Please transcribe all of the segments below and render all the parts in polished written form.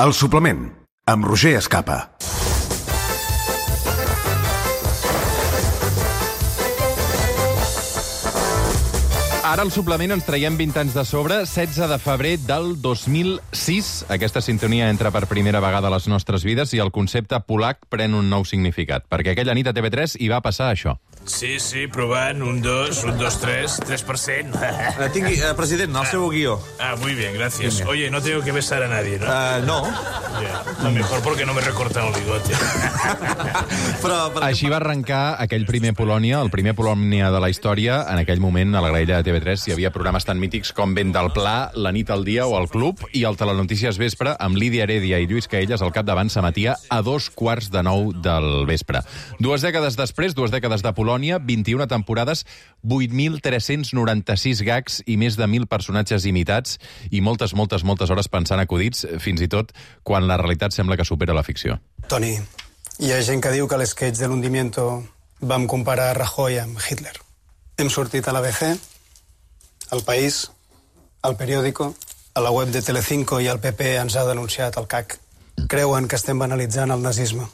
El suplement, amb Roger Escapa. Ara al suplement ens traiem 20 anys de sobre, 16 de febrer del 2006. Aquesta sintonia entra per primera vegada a les nostres vides i el concepte polac pren un nou significat, perquè aquella nit a TV3 hi va passar això. Sí, provant, 1, 2, 3, 3%. Tingui, president, el seu guió. Muy bien, gracias. Oye, no tengo que besar a nadie, ¿no? No. A lo mejor porque no me recortan el bigote. Així va arrencar aquell primer Polònia, el primer Polònia de la història. En aquell moment, a la graella de TV3 hi havia programes tan mítics com Vent del Pla, La nit al dia o El Club, i el Telenotícies Vespre, amb Lídia Heredia i Lluís Caelles al capdavant, s'emetia a 8:45 del vespre. 2 dècades després, 2 dècades de Polònia, 21 temporades, 8.396 gags i més de 1.000 personatges imitats i moltes hores pensant acudits, fins i tot quan la realitat sembla que supera la ficció. Toni, hi ha gent que diu que a l'esquetx de l'Hundimiento vam comparar Rajoy amb Hitler. Hem sortit a l'ABC, al País, al Periódico, a la web de Telecinco i el PP ens ha denunciat el CAC. Creuen que estem banalitzant el nazisme.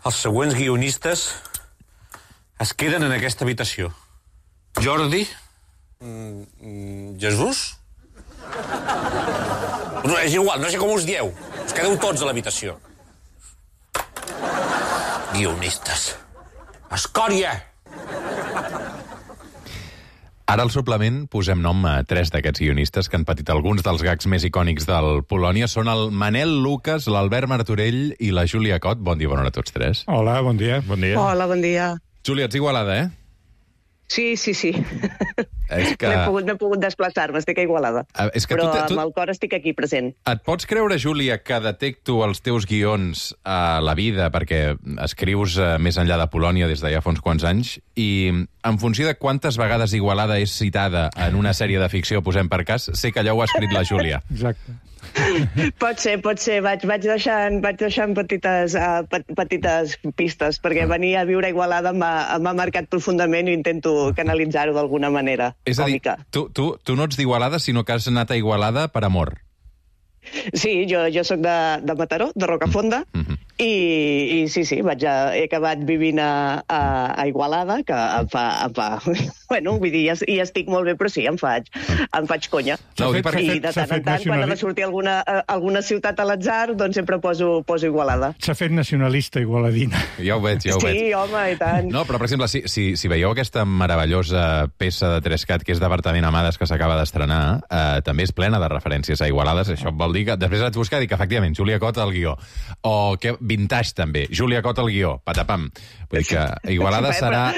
Els següents guionistes es queden en aquesta habitació. Jordi? Jesús? No, és igual, no sé com us dieu. Us quedeu tots a l'habitació. Guionistes. Escòria! Ara al suplement posem nom a 3 d'aquests guionistes que han patit alguns dels gags més icònics del Polònia. Són el Manel Lucas, l'Albert Martorell i la Júlia Cot. Bon dia, bona hora a tots 3. Hola, bon dia. Bon dia. Hola, bon dia. Júlia, ets Igualada, eh? Sí. És que... M'he pogut desplaçar-me, estic a Igualada. És que però amb el cor estic aquí present. Et pots creure, Júlia, que detecto els teus guions a la vida, perquè escrius més enllà de Polònia des de ja fa uns quants anys, i en funció de quantes vegades Igualada és citada en una sèrie de ficció, posem per cas, sé que allò ho ha escrit la Júlia. Exacte. Pot ser. Vaig deixant petites pistes, perquè venir a viure a Igualada m'ha marcat profundament i intento canalitzar-ho d'alguna manera. És a dir, tu no ets d'Igualada, sinó que has anat a Igualada per amor. Sí, jo soc de Mataró, de Rocafonda, i sí, he acabat vivint a Igualada, que em fa bueno, vull dir, hi estic molt bé, però sí, em faig conya. No, I de tant en tant, quan ha de sortir alguna ciutat a l'atzar, doncs sempre poso Igualada. S'ha fet nacionalista igualadina. Ja ho veig. Sí, home, i tant. No, però, per exemple, si veieu aquesta meravellosa peça de Trescat, que és d'Apartament Amades, que s'acaba d'estrenar, també és plena de referències a Igualades. Això vol dir que després vaig buscar i dic que, efectivament, Júlia Cot al guió. O que Vintage, també. Júlia Cot al guió. Patapam. Vull dir que Igualada serà...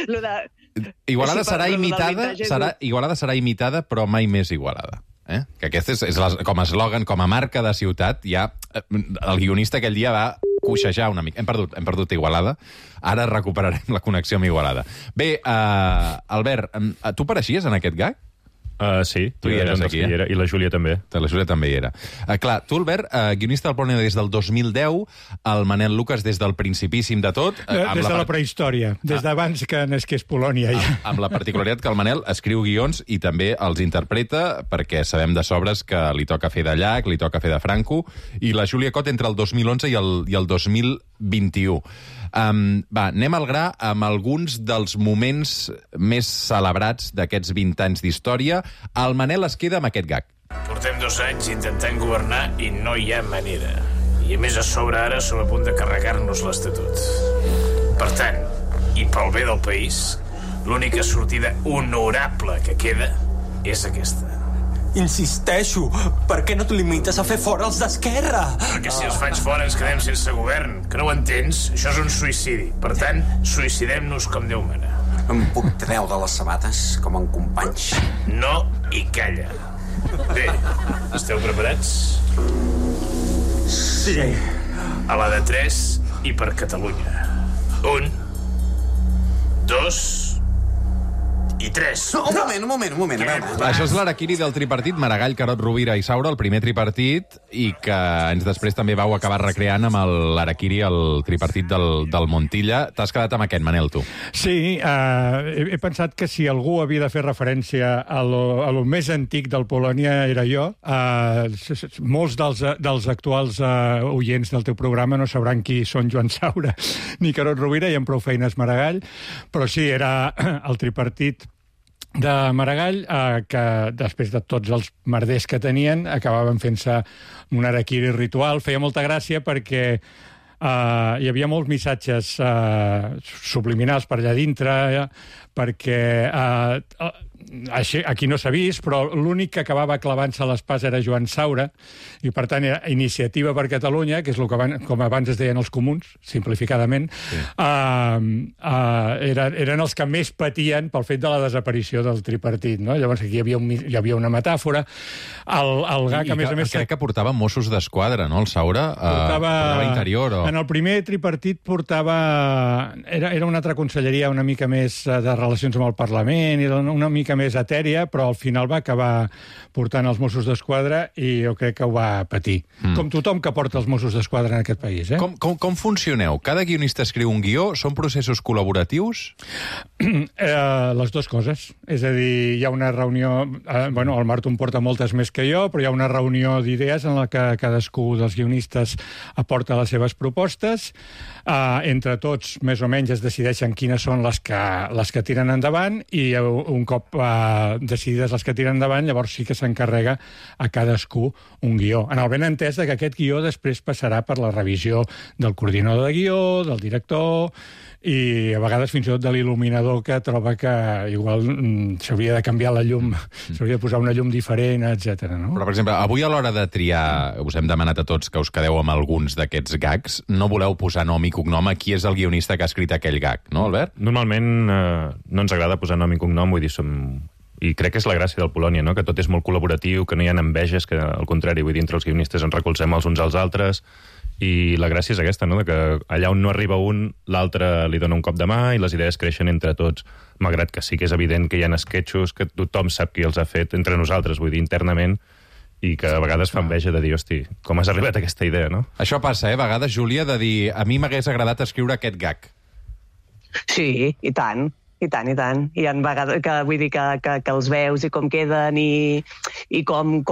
Igualada serà imitada, però mai més Igualada. Que aquest és com a eslògan, com a marca de ciutat, ja el guionista aquell dia va coixejar una mica. Hem perdut Igualada, ara recuperarem la connexió amb Igualada. Bé, Albert, tu apareixies en aquest gag? Sí, tu hi eres aquí, i la Júlia també. La Júlia també hi era. Clar, tu, Albert, guionista del Polònia des del 2010, el Manel Lucas des del principíssim de tot. Des de la prehistòria, des d'abans que nasqués Polònia. Amb la particularitat que el Manel escriu guions i també els interpreta, perquè sabem de sobres que li toca fer de Llach, li toca fer de Franco, i la Júlia Cot entre el 2011 i el 2021. Anem al gra amb alguns dels moments més celebrats d'aquests 20 anys d'història. El Manel es queda amb aquest gag. Portem 2 anys intentant governar i no hi ha manera. I a més a sobre ara som a punt de carregar-nos l'Estatut. Per tant, i pel bé del país, l'única sortida honorable que queda és aquesta. Insisteixo, per què no t'ho limites a fer fora els d'Esquerra? Perquè si els faig fora ens quedem sense govern. Que no ho entens? Això és un suïcidi. Per tant, suïcidem-nos com Déu mana. Em puc treure les sabates com en Companys? No i calla. Bé, esteu preparats? Sí. A la de 3 i per Catalunya. 1, 2, i 3. Un moment. Això és l'araquiri del tripartit, Maragall, Carod, Rovira i Saura, el primer tripartit, i que anys després també vau acabar recreant amb l'araquiri, el tripartit del Montilla. T'has quedat amb aquest, Manel, tu. Sí, he pensat que si algú havia de fer referència a lo més antic del Polònia era jo. Molts dels actuals oients del teu programa no sabran qui són Joan Saura ni Carod Rovira, i amb prou feines Maragall, però sí, era el tripartit de Maragall, que després de tots els merders que tenien acabaven fent-se un araquiri ritual. Feia molta gràcia perquè hi havia molts missatges subliminals per allà dintre, perquè aquí no s'ha vist, però l'únic que acabava clavant-se l'espasa era Joan Saura, i per tant era Iniciativa per Catalunya, que és el que com abans es deien els comuns, simplificadament, sí. Eren els que més patien pel fet de la desaparició del tripartit, no? Llavors aquí hi havia una metàfora. El gag, a més a més... Crec que portava Mossos d'Esquadra, no, el Saura? Portava Interior. En el primer tripartit portava... Era una altra conselleria una mica més de relacions amb el Parlament, i una mica més etèria, però al final va acabar portant els Mossos d'Esquadra i jo crec que ho va patir. Com tothom que porta els Mossos d'Esquadra en aquest país. Com funcioneu? Cada guionista escriu un guió? Són processos col·laboratius? Les dues coses. És a dir, hi ha una reunió... el Marto en porta moltes més que jo, però hi ha una reunió d'idees en la que cadascú dels guionistes aporta les seves propostes. Entre tots, més o menys, es decideixen quines són les que tiren endavant, i un cop decidides les que tiren endavant, llavors sí que s'encarrega a cadascú un guió. En el benentès que aquest guió després passarà per la revisió del coordinador de guió, del director, i a vegades fins i tot de l'il·luminador, que troba que igual s'hauria de canviar la llum, s'hauria de posar una llum diferent, etc. No? Però, per exemple, avui a l'hora de triar, us hem demanat a tots que us quedeu amb alguns d'aquests gags, no voleu posar nom i cognom a qui és el guionista que ha escrit aquell gag, no, Albert? Normalment no ens agrada posar nom i cognom, vull dir, i crec que és la gràcia del Polònia, no? Que tot és molt col·laboratiu, que no hi ha enveges, que al contrari, vull dir, entre els guionistes ens recolzem els uns als altres, i la gràcia és aquesta, no? De que allà on no arriba un, l'altre li dona un cop de mà i les idees creixen entre tots, malgrat que sí que és evident que hi ha esquetxos que tothom sap qui els ha fet entre nosaltres, vull dir, internament, i que a vegades fa enveja de dir, hosti, com has arribat a aquesta idea, no? Això passa, a vegades, Júlia, de dir, a mi m'hagués agradat escriure aquest gag. Sí, i tant. I tant. Hi ha vegades que vull dir que els veus i com queden i com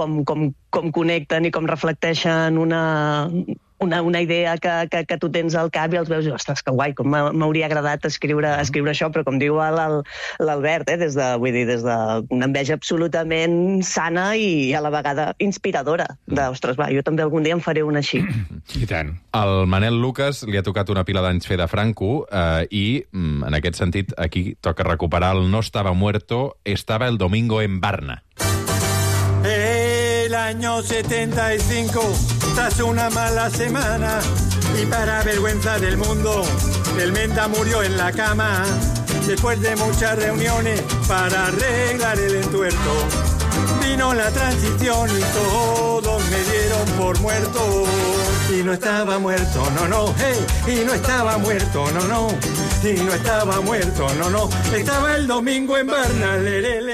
connecten i com reflecteixen una idea que tu tens al cap, i els veus i, ostres, que guai, com m'hauria agradat escriure això, però com diu l'Albert, des d'una enveja absolutament sana i a la vegada inspiradora, ostres, va, jo també algun dia en faré una així. I tant. Al Manel Lucas li ha tocat una pila d'anys fer de Franco, i en aquest sentit aquí toca recuperar el no estaba muerto, estaba el domingo en Varna. El año 75, tras una mala semana, y para vergüenza del mundo, el Menta murió en la cama, después de muchas reuniones para arreglar el entuerto. Vino la transición y todos me dieron por muerto. Y no estaba muerto, no, hey, y no estaba muerto, no, y no estava muerto, no, estava el domingo en Varna.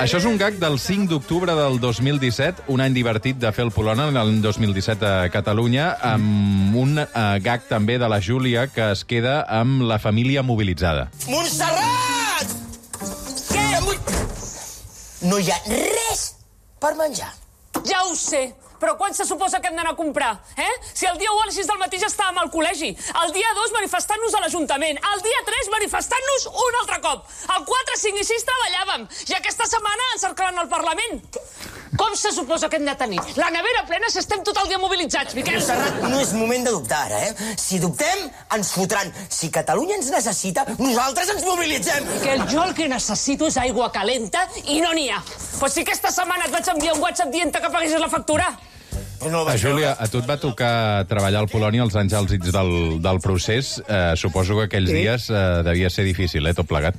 Això és un gag del 5 d'octubre del 2017, un any divertit de fer el Polònia, l'any 2017 a Catalunya, amb un gag també de la Júlia, que es queda amb la família mobilitzada. Montserrat! Què? No hi ha res per menjar. Ja ho sé, però quan se suposa que hem d'anar a comprar? Si el dia 1 a les 6 del matí ja estàvem al col·legi, el dia 2 manifestant-nos a l'Ajuntament, el dia 3 manifestant-nos un altre cop, el 4, 5 i 6 treballàvem, i aquesta setmana encerclant el Parlament. Com se suposa que hem de tenir la nevera plena si estem tot el dia mobilitzats, Miquel? Montserrat, no és moment de dubtar ara, Si dubtem, ens fotran. Si Catalunya ens necessita, nosaltres ens mobilitzem. Miquel, jo el que necessito és aigua calenta i no n'hi ha. Pues si aquesta setmana et vaig enviar un WhatsApp dient que paguessis la factura. Júlia, a tu et va tocar treballar al Polònia els anys àlgids del procés. Suposo que aquells dies devia ser difícil, tot plegat.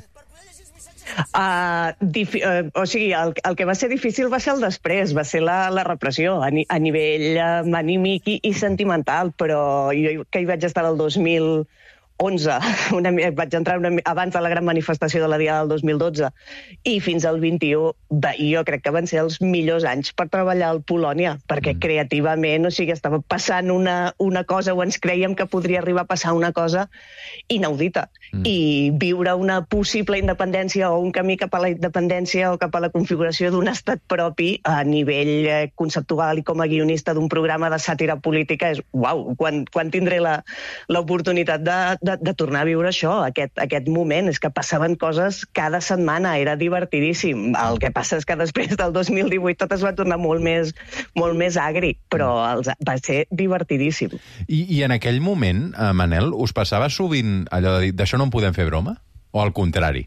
O sigui, el que va ser difícil va ser el després, va ser la repressió a nivell anímic i sentimental, però jo que hi vaig estar el 2001 11, vaig entrar abans de la gran manifestació de la Diada del 2012, i fins al 21, jo crec que van ser els millors anys per treballar al Polònia, perquè creativament, o sigui, estava passant una cosa, o ens creiem que podria arribar a passar una cosa inaudita. I viure una possible independència o un camí cap a la independència o cap a la configuració d'un estat propi a nivell conceptual i com a guionista d'un programa de sàtira política és, uau, quan tindré l'oportunitat de tornar a viure això, aquest moment. És que passaven coses cada setmana, era divertidíssim. El que passa és que després del 2018 tot es va tornar molt més agri, però va ser divertidíssim. I en aquell moment, Manel, us passava sovint allò de dir, d'això no en podem fer broma? O al contrari?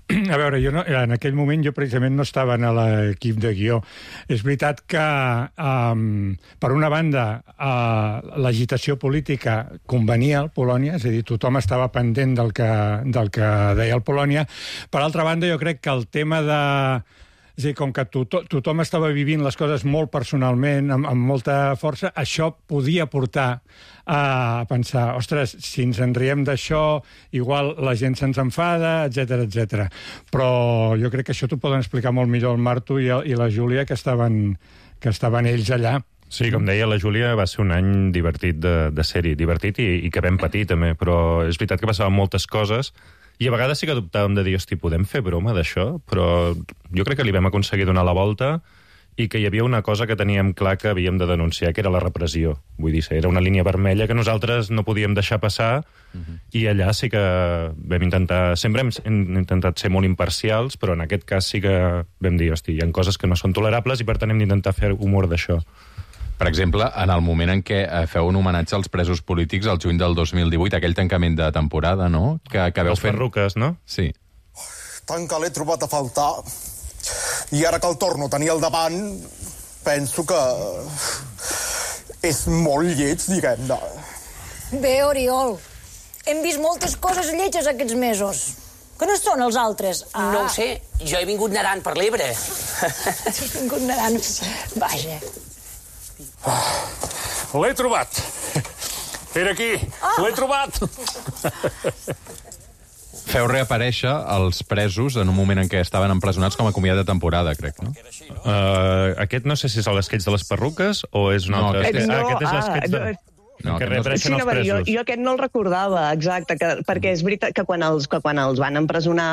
A veure, en aquell moment jo precisament no estava en l'equip de guió. És veritat que, per una banda, l'agitació política convenia al Polònia, és a dir, tothom estava pendent del que deia el Polònia. Per altra banda, jo crec que el tema de... És a dir, com que tothom estava vivint les coses molt personalment, amb molta força, això podia portar a pensar, ostres, si ens en riem d'això, igual la gent se'ns enfada, etc. Però jo crec que això t'ho poden explicar molt millor el Marto i la Júlia, que estaven ells allà. Sí, com deia la Júlia, va ser un any divertit de sèrie, divertit i que vam patir també, però és veritat que passaven moltes coses. I a vegades sí que dubtàvem de dir, hosti, podem fer broma d'això? Però jo crec que li vam aconseguir donar la volta i que hi havia una cosa que teníem clar que havíem de denunciar, que era la repressió. Vull dir, era una línia vermella que nosaltres no podíem deixar passar i allà sí que vam intentar... Sempre hem intentat ser molt imparcials, però en aquest cas sí que vam dir, hosti, hi ha coses que no són tolerables i per tant hem d'intentar fer humor d'això. Per exemple, en el moment en què feu un homenatge als presos polítics al juny del 2018, aquell tancament de temporada, no? Que veu les perruques, no? Sí. Tant que l'he trobat a faltar, i ara que el torno a tenir al davant, penso que és molt lleig, diguem-ne. Bé, Oriol, hem vist moltes coses lletges aquests mesos. Que no són els altres? No ho sé, jo he vingut nedant per l'Ebre. He vingut nedant... Vaja... L'he trobat. Era aquí. L'he trobat. Feu reaparèixer els presos en un moment en què estaven empresonats com a comiat de temporada, crec, no? Aquest no sé si és l'esquetx de les perruques o és un altre... Aquest és l'esquetx de... No, que reapareixen els presos. Jo aquest no el recordava, exacte, perquè és veritat que quan els van empresonar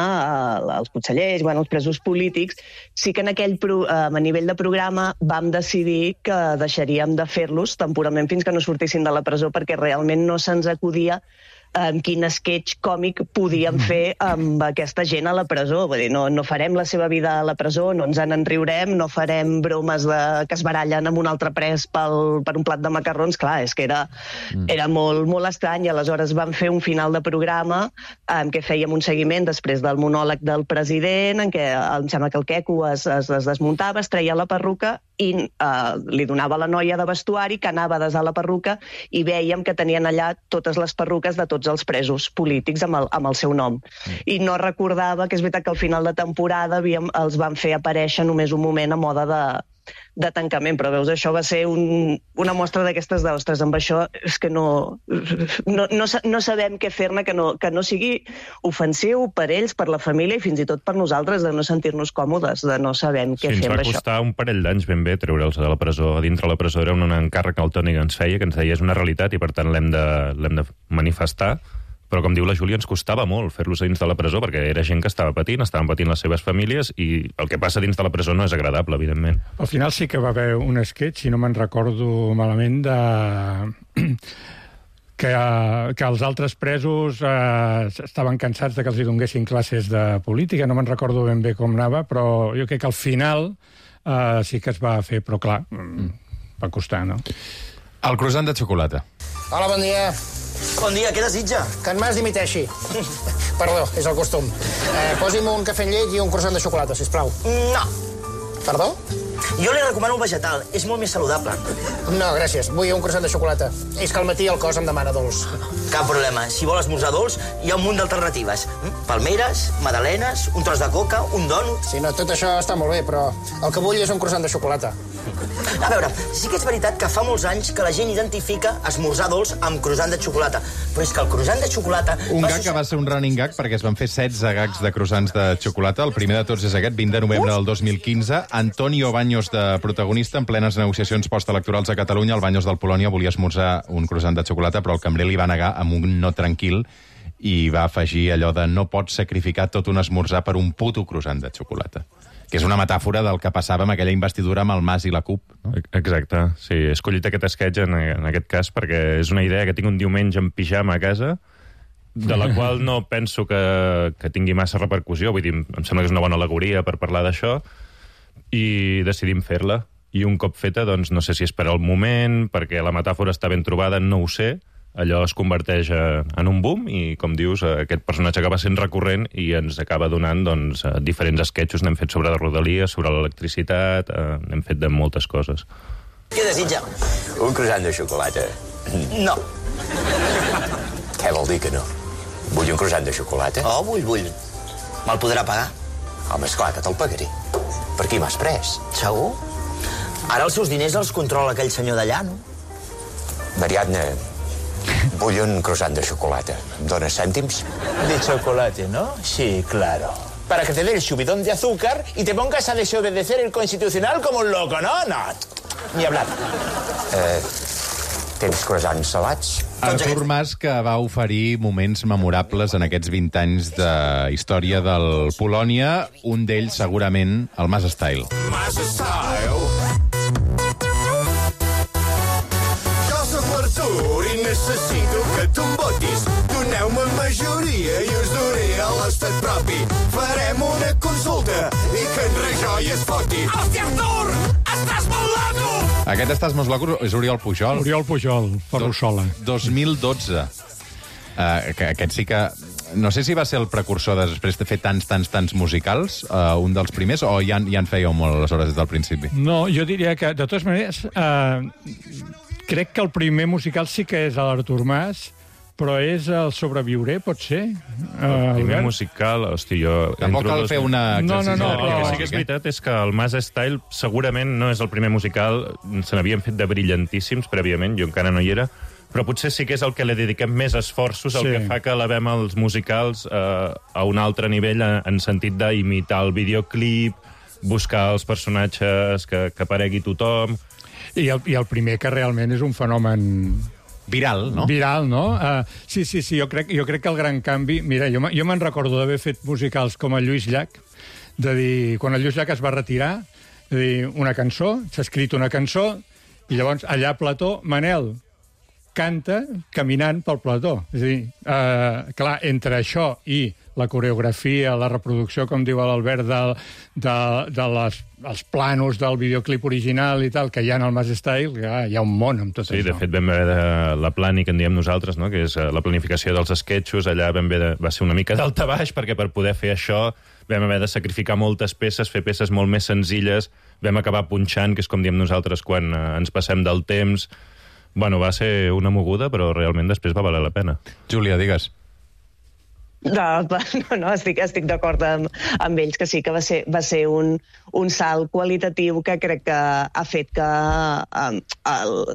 els consellers, els presos polítics, sí que en aquell a nivell de programa vam decidir que deixaríem de fer-los temporalment fins que no sortissin de la presó, perquè realment no se'ns acudia quin sketch còmic podíem fer amb aquesta gent a la presó. Vull dir, no farem la seva vida a la presó, no ens en riurem, no farem bromes que es barallen amb un altre pres per un plat de macarrons. Clar, és que era molt, molt estrany, i aleshores vam fer un final de programa en què fèiem un seguiment després del monòleg del president, en què em sembla que el queco es desmuntava, es treia la perruca i li donava la noia de vestuari que anava a desar la perruca i vèiem que tenien allà totes les perruques de tots els presos polítics amb el seu nom. I no recordava que és veritat que al final de temporada els van fer aparèixer només un moment a moda de tancament, però veus, això va ser una mostra d'aquestes d'ostres, amb això és que no sabem què fer-ne que no sigui ofensiu per ells, per la família i fins i tot per nosaltres, de no sentir-nos còmodes, de no sabem què fer amb això. Ens va costar un parell d'anys ben bé treure'ls de la presó. A dintre la presó era un encàrrec que el Toni ens feia, que ens deia és una realitat i per tant l'hem de manifestar. Però, com diu la Júlia, ens costava molt fer-los dins de la presó, perquè era gent que estaven patint les seves famílies, i el que passa dins de la presó no és agradable, evidentment. Al final sí que va haver un sketch, si no me'n recordo malament, que els altres presos estaven cansats de que els hi donguessin classes de política, no me'n recordo ben bé com anava, però jo crec que al final sí que es va fer, però clar, va costar, no? El croissant de xocolata. Hola, bon dia. Bon dia, què desitja? Que en Mas dimiteixi. Perdó, és el costum. Posi'm un cafè amb llet i un croissant de xocolata, sisplau. No. Perdó? Jo li recomano el vegetal, és molt més saludable. No, gràcies, vull un croissant de xocolata. És que al matí el cos em demana dolç. Cap problema, si vol esmorzar dolç, hi ha un munt d'alternatives. Palmeres, magdalenes, un tros de coca, un dònut... Sí, no, tot això està molt bé, però el que vull és un croissant de xocolata. A veure, sí que és veritat que fa molts anys que la gent identifica esmorzar dolç amb croissant de xocolata, però és que el croissant de xocolata... Un gag que va ser un running gag perquè es van fer 16 gags de croissants de xocolata. El primer de tots és aquest, 20 de novembre del 2015. Antonio Baños, de protagonista, en plenes negociacions postelectorals a Catalunya. El Baños del Polònia volia esmorzar un croissant de xocolata, però el cambrer li va negar amb un no tranquil i va afegir allò de no pots sacrificar tot un esmorzar per un puto croissant de xocolata. Que és una metàfora del que passava amb aquella investidura amb el Mas i la CUP. No? Exacte, sí. He escollit aquest sketch en aquest cas perquè és una idea que tinc un diumenge en pijama a casa, de la qual no penso que tingui massa repercussió. Vull dir, em sembla que és una bona al·legoria per parlar d'això, i decidim fer-la. I un cop feta, doncs, no sé si és per al moment, perquè la metàfora està ben trobada, no ho sé. Allò es converteix en un boom i, com dius, aquest personatge acaba sent recurrent i ens acaba donant doncs, diferents esquetxos. N'hem fet sobre la rodalia, sobre l'electricitat, n'hem fet de moltes coses. Què desitja? Un croissant de xocolata. No. Què vol dir que no? Vull un croissant de xocolata? Oh, vull. Me'l podrà pagar? Home, esclar que te'l pagaré. Per qui m'has pres? Segur? Ara els seus diners els controla aquell senyor d'allà, no? Mariadna, vull un croissant de xocolata. Em dones cèntims? De chocolate, ¿no? Sí, claro. Para que te dé el subidón de azúcar y te pongas a desobedecer el Constitucional como un loco, ¿no? No, ni hablar. Tens croissants salats? Artur Mas, que va oferir moments memorables en aquests 20 anys de història del Polònia, un d'ells segurament el Mas Style. Mas Style. Jo sóc l'Artur i necessito que tu em votis. Doneu-me majoria i us duré a l'estat propi. Farem una consulta i que en Rajoy es foti. Hòstia, Artur! Estàs molt loco! Aquest Estàs molt loco és Oriol Pujol. Oriol Pujol, Ferrusola. 2012. Aquest sí que... No sé si va ser el precursor després de fer tants musicals, un dels primers, o ja en fèieu molt aleshores des del principi? No, jo diria que, de totes maneres, crec que el primer musical sí que és l'Artur Mas, però és el Sobreviuré, pot ser? El primer musical, hosti, jo... Tampoc cal fer una exercici. No, el que sí que és veritat és que el Mas Style segurament no és el primer musical, se n'havien fet de brillantíssims prèviament, jo encara no hi era, però potser sí que és el que li dediquem més esforços, el que fa que elevem els musicals a un altre nivell en sentit d'imitar el videoclip, buscar els personatges que aparegui tothom... I el primer que realment és un fenomen... Viral, no? Viral, no? Sí, jo crec que el gran canvi... Mira, jo me'n recordo d'haver fet musicals com el Lluís Llach, de dir, quan el Lluís Llach es va retirar, de dir, una cançó, s'ha escrit una cançó, i llavors allà a Plató, Manel canta caminant pel plató. És a dir, clar, entre això i la coreografia, la reproducció, com diu l'Albert, dels planos del videoclip original i tal, que hi ha en el Mas Style, hi ha un món amb tot això. Sí, de fet, vam haver la plani que en diem nosaltres, no? Que és la planificació dels esquetxos, allà va ser una mica d'altabaix, perquè per poder fer això vam haver de sacrificar moltes peces, fer peces molt més senzilles, vam acabar punxant, que és com diem nosaltres quan ens passem del temps. Bueno, va ser una moguda, però realment després va valer la pena. Júlia, digues. No, estic d'acord amb ells, que sí que va ser un salt qualitatiu que crec que ha fet que,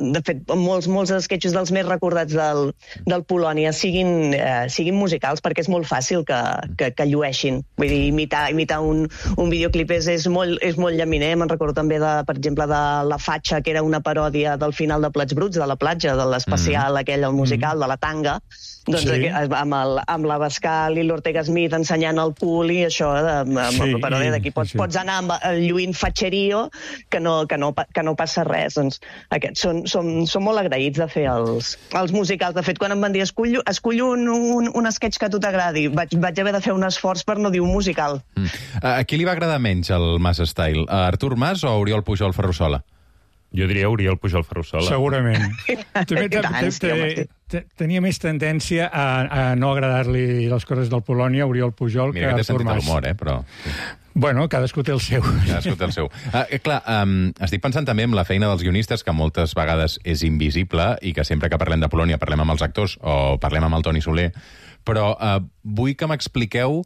de fet, molts esquetxos dels més recordats del Polònia siguin musicals, perquè és molt fàcil que llueixin. Vull dir, imitar un videoclip és molt llaminer. Me'n recordo també, per exemple, de La Fatxa, que era una paròdia del final de Plats Bruts, de la platja, de l'especial aquell, el musical, de la tanga, doncs amb l'Abascal i l'Ortega Smith ensenyant el cul i això, amb la paròdia d'aquí. Pots anar lluint fatxerio que no passa res. Doncs aquests són molt agraïts de fer els musicals. De fet, quan em van dir escull un sketch que a tu t'agradi, vaig haver de fer un esforç per no dir un musical. A qui li va agradar menys el Mas Style? A Artur Mas o a Oriol Pujol Ferrusola? Jo diria Oriol Pujol Ferrusola. Segurament. Tenia més tendència a no agradar-li les coses del Polònia, Oriol Pujol, que Artur Mas. Mira que té sentit de l'humor, però... Bueno, cadascú té el seu. Cadascú té el seu. Clar, estic pensant també en la feina dels guionistes, que moltes vegades és invisible i que sempre que parlem de Polònia parlem amb els actors o parlem amb el Toni Soler, però vull que m'expliqueu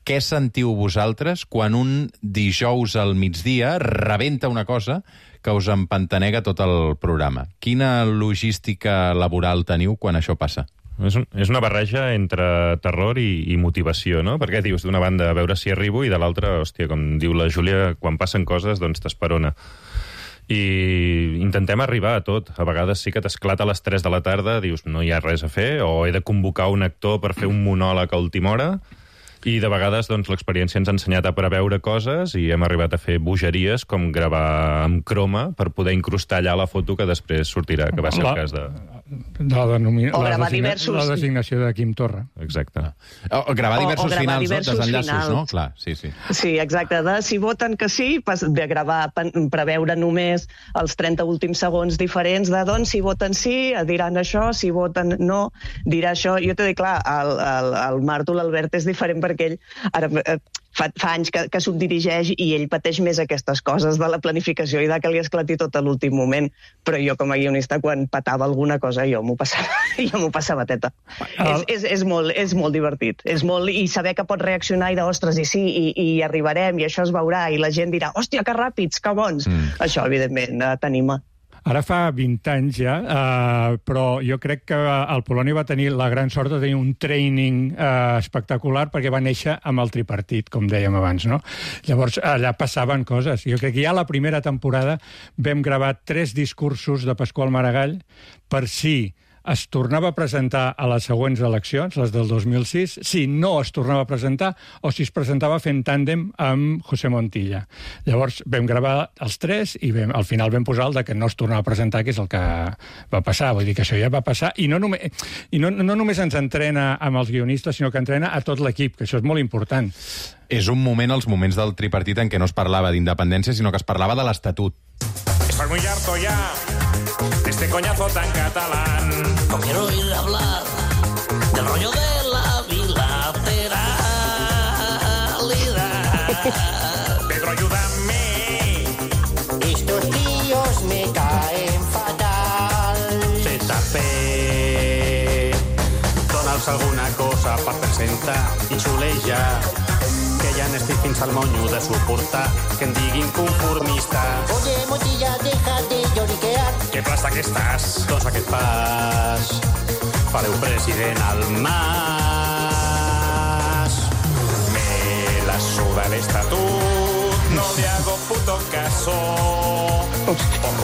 què sentiu vosaltres quan un dijous al migdia rebenta una cosa que us empantanega tot el programa. Quina logística laboral teniu quan això passa? És una barreja entre terror i motivació, no? Perquè dius, d'una banda, a veure si arribo, i de l'altra, hòstia, com diu la Júlia, quan passen coses, doncs t'esperona. I intentem arribar a tot. A vegades sí que t'esclata a les 3 de la tarda, dius, no hi ha res a fer, o he de convocar un actor per fer un monòleg a última hora, i de vegades doncs, l'experiència ens ha ensenyat a preveure coses i hem arribat a fer bogeries com gravar amb croma per poder incrustar allà la foto que després sortirà, que va ser el cas de... diversos... La designació de Quim Torra. Exacte. O gravar diversos finals, no? Desenllaços, no? Clar, sí. Sí, exacte. Si voten que sí, de gravar, preveure només els 30 últims segons diferents de doncs, si voten sí, diran això, si voten no, dirà això. Jo t'he dit, clar, el Marto, l'Albert, és diferent perquè ell ara fa anys que s'ho dirigeix i ell pateix més aquestes coses de la planificació i de que li esclati tot a l'últim moment. Però jo, com a guionista, quan patava alguna cosa, jo m'ho passava teta. És molt divertit. I saber que pots reaccionar i ostres, i sí, i arribarem, i això es veurà, i la gent dirà, hòstia, que ràpids, que bons. Això, evidentment, t'anima. Ara fa 20 anys ja, però jo crec que el Polònia va tenir la gran sort de tenir un training espectacular perquè va néixer amb el tripartit, com dèiem abans, no? Llavors, allà passaven coses. Jo crec que ja la primera temporada vam gravar 3 discursos de Pasqual Maragall per si es tornava a presentar a les següents eleccions, les del 2006, si no es tornava a presentar o si es presentava fent tàndem amb José Montilla. Llavors vam gravar els 3 i al final vam posar el de que no es tornava a presentar, que és el que va passar. Vull dir que això ja va passar. I no només ens entrena amb els guionistes, sinó que entrena a tot l'equip, que això és molt important. És un moment, els moments del tripartit, en què no es parlava d'independència, sinó que es parlava de l'Estatut. Estoy muy harto ya de este coñazo tan catalán. No quiero oír hablar del rollo de la bilateralidad. Pedro, ayúdame. Estos tíos me caen fatal. ZP, dona'ls alguna cosa per presentar i xulejar. Que ja n'estic fins al monyo de suportar que em diguin conformista. Oye, Montilla, deja de lloriquear. Que plasta que estàs. Doncs aquest pas fareu president al Mas. Me la suda el estatut, no le hago puto caso. Por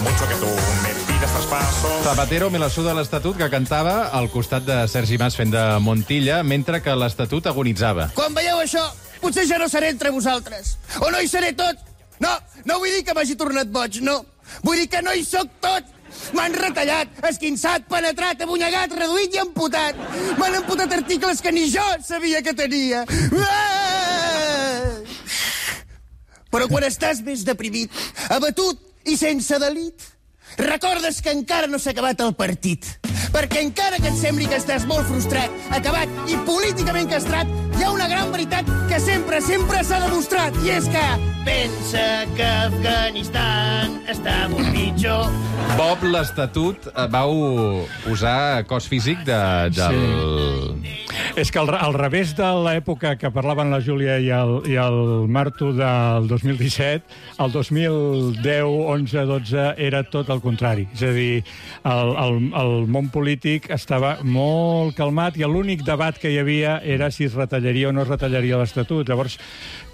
mucho que tú me pidas traspasos. Zapatero me la suda l'Estatut, que cantava al costat de Sergi Mas fent de Montilla, mentre que l'Estatut agonitzava. Quan veieu això, potser ja no seré entre vosaltres. O no hi seré tot. No vull dir que m'hagi tornat boig, no. Vull dir que no hi sóc tot. M'han retallat, esquinçat, penetrat, abunyegat, reduït i amputat. M'han amputat articles que ni jo sabia que tenia. Però quan estàs més deprimit, abatut i sense delit, recordes que encara no s'ha acabat el partit. Perquè encara que et sembli que estàs molt frustrat, acabat i políticament castrat, hi ha una gran veritat que sempre s'ha demostrat, i és que pensa que Afganistan està molt pitjor. Bob, l'Estatut, vau posar cos físic del... Sí. És que al revés de l'època que parlaven la Júlia i el Marto del 2017, el 2010, 11, 12 era tot el contrari. És a dir, el món polític estava molt calmat i l'únic debat que hi havia era si es retallaria o no es retallaria l'Estatut. Llavors,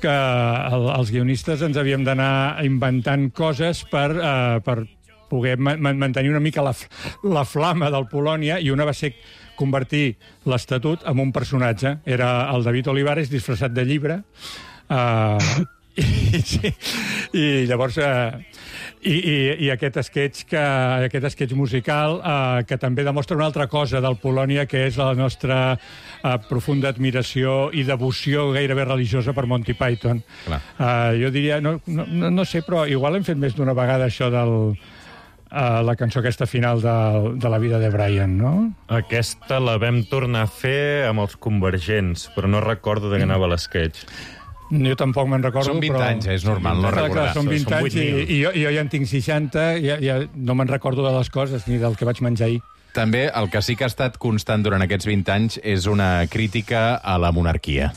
que els guionistes ens havíem d'anar inventant coses per poder mantenir una mica la flama del Polònia, i una va ser convertir l'Estatut en un personatge. Era el David Olivares disfressat de llibre, i llavors i aquest sketch musical que també demostra una altra cosa del Polònia, que és la nostra profunda admiració i devoció gairebé religiosa per Monty Python. Jo diria, no sé, però igual hem fet més d'una vegada això la cançó aquesta final de la vida de Brian, no? Aquesta la vam tornar a fer amb els Convergents, però no recordo de què anava l'esquetx. Jo tampoc me'n recordo, Són 20 però... anys, és normal no recordar. Són 20 anys i jo ja en tinc 60, ja no me'n recordo de les coses ni del que vaig menjar ahir. També el que sí que ha estat constant durant aquests 20 anys és una crítica a la monarquia.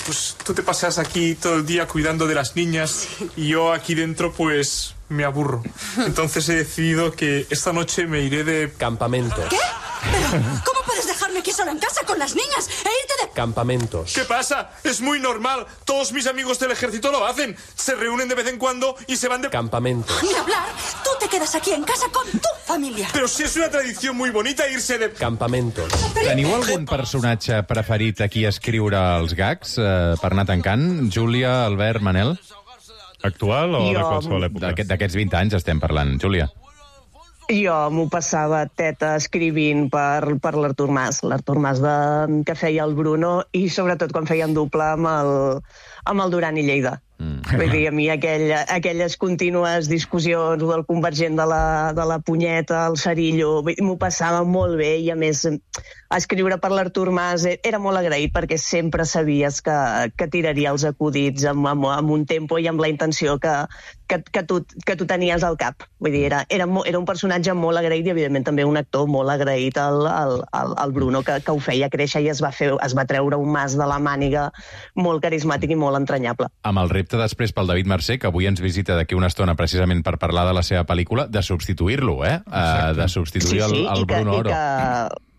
Pues tú te pasas aquí todo el día cuidando de las niñas y yo aquí dentro pues me aburro. Entonces he decidido que esta noche me iré de campamento. ¿Qué? Pero, ¿cómo puedes dejarme aquí sola en casa con las niñas e irte de... Campamentos. ¿Qué pasa? Es muy normal. Todos mis amigos del ejército lo hacen. Se reúnen de vez en cuando y se van de... Campamento. Ni hablar. Tú te quedas aquí en casa con tu familia. Pero si es una tradición muy bonita irse de... Campamentos. Teniu algun personatge preferit a qui escriure els gags per anar tancant? Júlia, Albert, Manel? Actual o de qualsevol època? D'aquests 20 anys estem parlant. Júlia? Jo m'ho passava teta escrivint per l'Artur Mas. L'Artur Mas que feia el Bruno i sobretot quan feien doble amb el Duran i Lleida. Vull dir, a mi aquelles contínues discussions del convergent de la punyeta, el cerillo, m'ho passava molt bé i a més escriure per l'Artur Mas era molt agraït perquè sempre sabies que tiraria els acudits amb un tempo i amb la intenció que tu tenies al cap. Vull dir, era un personatge molt agraït i evidentment també un actor molt agraït al Bruno que ho feia créixer i es va treure un Mas de la màniga molt carismàtic i molt entranyable. Amb el repte després pel David Mercè, que avui ens visita d'aquí una estona precisament per parlar de la seva pel·lícula, de substituir-lo, de substituir el Bruno Oro.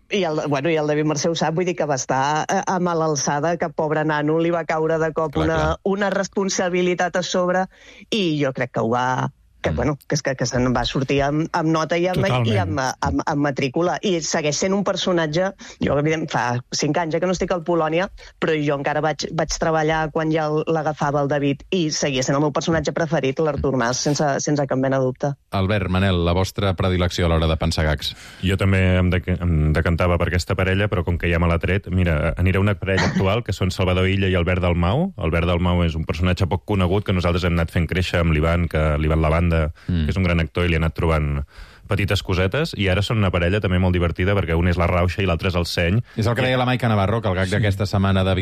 I el David Mercè ho sap, vull dir que va estar a mala alçada, que pobre nano li va caure de cop una responsabilitat a sobre i jo crec que ho va... que se'n va sortir amb nota i amb matrícula. I segueix sent un personatge... Jo, evidentment, fa 5 anys que no estic al Polònia, però jo encara vaig treballar quan ja l'agafava el David i seguia sent el meu personatge preferit, l'Artur Mas, sense cap mena de dubte. Albert, Manel, la vostra predilecció a l'hora de pensar gags? Jo també em decantava per aquesta parella, però com que ja me l'ha tret, mira, anirà una parella actual, que són Salvador Illa i Albert Dalmau. Albert Dalmau és un personatge poc conegut que nosaltres hem anat fent créixer amb l'Ivan Lavanda, que és un gran actor i li ha anat trobant petites cosetes, i ara són una parella també molt divertida perquè un és la rauxa i l'altre és el seny. És el que deia la Maica Navarro, que el gag d'aquesta setmana de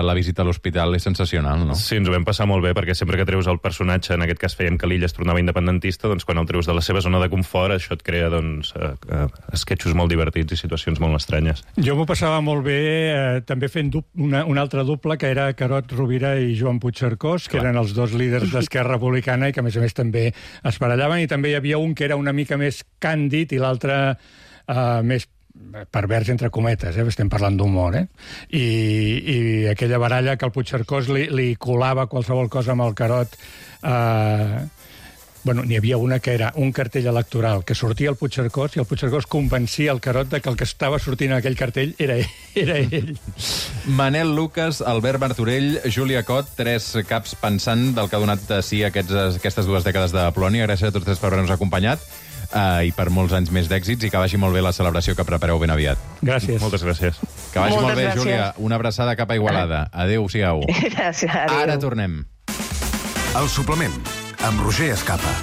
la visita a l'hospital és sensacional, no? Sí, ens ho vam passar molt bé, perquè sempre que treus el personatge, en aquest cas fèiem que l'Illa es tornava independentista, doncs quan el treus de la seva zona de confort, això et crea esquetxos molt divertits i situacions molt estranyes. Jo m'ho passava molt bé també fent un altre doble, que era Carod Rovira i Joan Puigcercós, que eren els dos líders d'Esquerra Republicana i que a més també es barallaven, i també hi havia un que era una mica més càndid i l'altre més pervers, entre cometes, estem parlant d'humor, i aquella baralla que el Puigcercós li colava qualsevol cosa amb el Carod. N'hi havia una que era un cartell electoral, que sortia el Puigcercós i el Puigcercós convencia el Carod que el que estava sortint en aquell cartell era ell. Manel Lucas, Albert Martorell, Júlia Cot, 3 caps pensant del que ha donat de si aquestes 2 dècades de Polònia. Gràcies a tots 3 per haver-nos acompanyat i per molts anys més d'èxits, i que vagi molt bé la celebració que prepareu ben aviat. Gràcies. Moltes gràcies. Que vagi molt bé, Júlia. Una abraçada cap a Igualada. Adéu-siau. Gràcies. Ara tornem. El suplement, amb Roger Escapa.